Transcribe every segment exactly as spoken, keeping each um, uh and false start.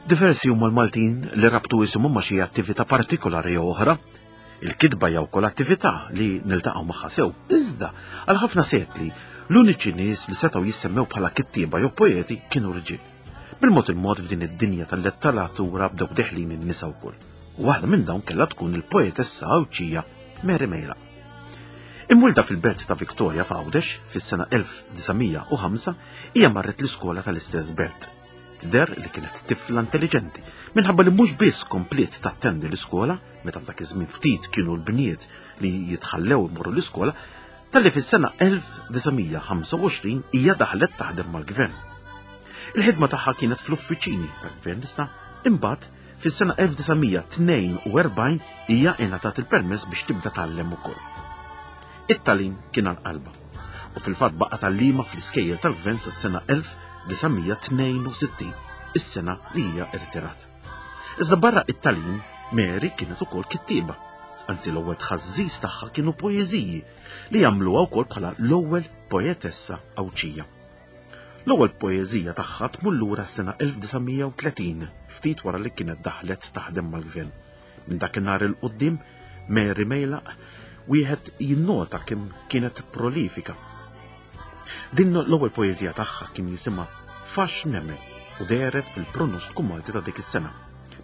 Diversi huma l-Maltin li rabtu isimhom ma' xi attività partikolari jew oħra. Il-kitba jew kol attività li niltaqgħu magħha sew. Iżda għal ħafna sekli l-uniċi nies li setgħu jissemmew bħala kittieba jew poeti kienu rġiel. Bil-mod il-mod f'din id-dinja tal-letteratura bdew deħlin in-nisa wkoll. U waħda minn dawn kellha tkun il-poetessa Għawdxija Mary Mejlaq. Imwielda fil-belt ta' Victoria f'Għawdex fis-sena elf disa' mija u ħamsa, hija marret l-iskola tal-istess belt. Tidher li kienet tifla intelligenti, minħabba li mhux biss kompliet tattendi l-iskola, meta f'dak iż-żmien ftit kienu l-bniet li jitħallew imorru l-iskola, talli fis-sena elf disa' mija ħamsa u għoxrin hija daħlet taħdem mal-gvern. Il-ħidma tagħha kienet fl-uffiċini tal-gvern issa, imbagħad fis-sena elf disa' mija tnejn u erbgħin hija ingħatat il-permess biex tibda tgħallem ukoll. It-tagħlim kien għal qalbha u fil-fatt baqa' tgħallima fl-iskejjel tal-gvern sas-sena elf disa' mija tnejn u sittin, is-sena li hija irtirat. Iżda barra it-tagħlim, Mary kienet ukoll kittieba. Anzi l-ewwel tħażżiż tagħha kienu poeżiji li jagħmluha wkoll bħala l-ewwel poetessa Għawdxija. L-ewwel poeżija tagħha tmur lura s-sena elf disa' mija u tletin, ftit wara li kienet daħlet taħdem mal-gvern. Minn dakinhar il quddiem, Mary Mejlaq wieħed jinnota kemm kienet prolifika. Din l-ewwel poeżija tagħha kien jisimha Fax Nemmen u dehret fil-pronostiku Malti ta' dik is-sena.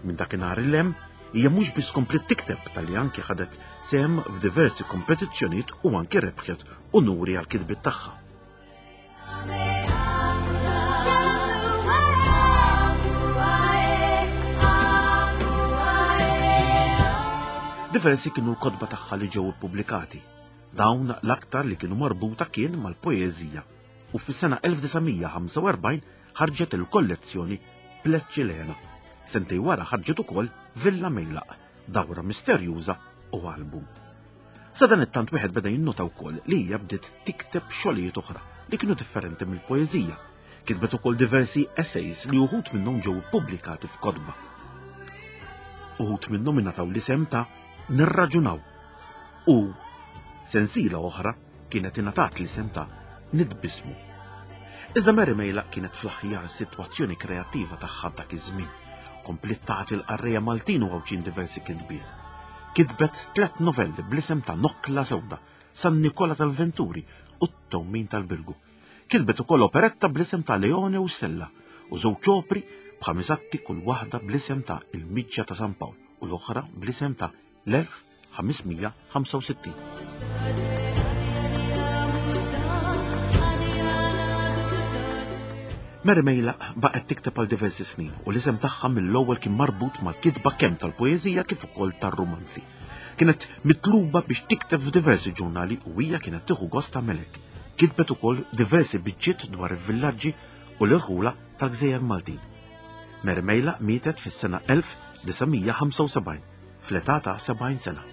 Minn dakinhar il hemm hija mhux biss kompliet tikteb talli anki ħadet sehem f'diversi kompetizzjonijiet u anki rebħet unuri għal kitbiet tagħha. Diversi kienu l-kotba tagħha li ġew ippubblikati. Dawn l-aktar li kienu marbuta kien mal-poeżija u fis-sena elf disa' mija ħamsa u erbgħin ħarġet il-kollezzjoni Pleċċilena. Sentej wara ħarġet ukoll Villa Mejlaq, dawra misterjuża u album. Sa dan it-tant wieħed beda jinnota wkoll li hija bdiet tikteb xogħlijiet oħra li kienu differenti mill-poeżija. Kitbet ukoll diversi essays li uħud minnhom ġew ippubblikati f'kotba. Uħud minnhom ingħataw l-isem ta' Nirraġunaw u sensiela oħra kienet ingħatat l-isem ta' Nitbismu. Iżda Mary Mejlaq kienet fl-aħjar sitwazzjoni kreattiva tagħha dak iż-żmien. Kompliet tagħti l-qarrejja Maltin u Għawdxin diversi kitbiet. Kitbet tliet novelli bl-isem ta' Nokla Sewda, San Nikola tal-Venturi u t-Tewmin tal-Birgu. Kitbet ukoll operetta bl-isem ta' Leone u Stella u żewġ opri b'ħames atti kull waħda bl-isem ta' Il-Miġja ta' San Pawl u l-oħra bl-isem ta' l-elf ħames mija ħamsa u sittin. Mary Mejlaq baqgħet tikteb għal diversi snin u l-isem tagħha mill-ewwel kien marbut mal-kitba kemm tal-poeżija kif ukoll tar-rumanzi. Kienet mitluba biex tikteb f'diversi ġurnali u hija kienet tieħu gost tagħmel hekk. Kitbet ukoll diversi biċċiet dwar il-villaġġi u l-irħula tal-Gżejjer Maltin. Mary Mejlaq mietet fis-sena elf disa' mija ħamsa u sebgħin fl-età ta' sebgħin sena.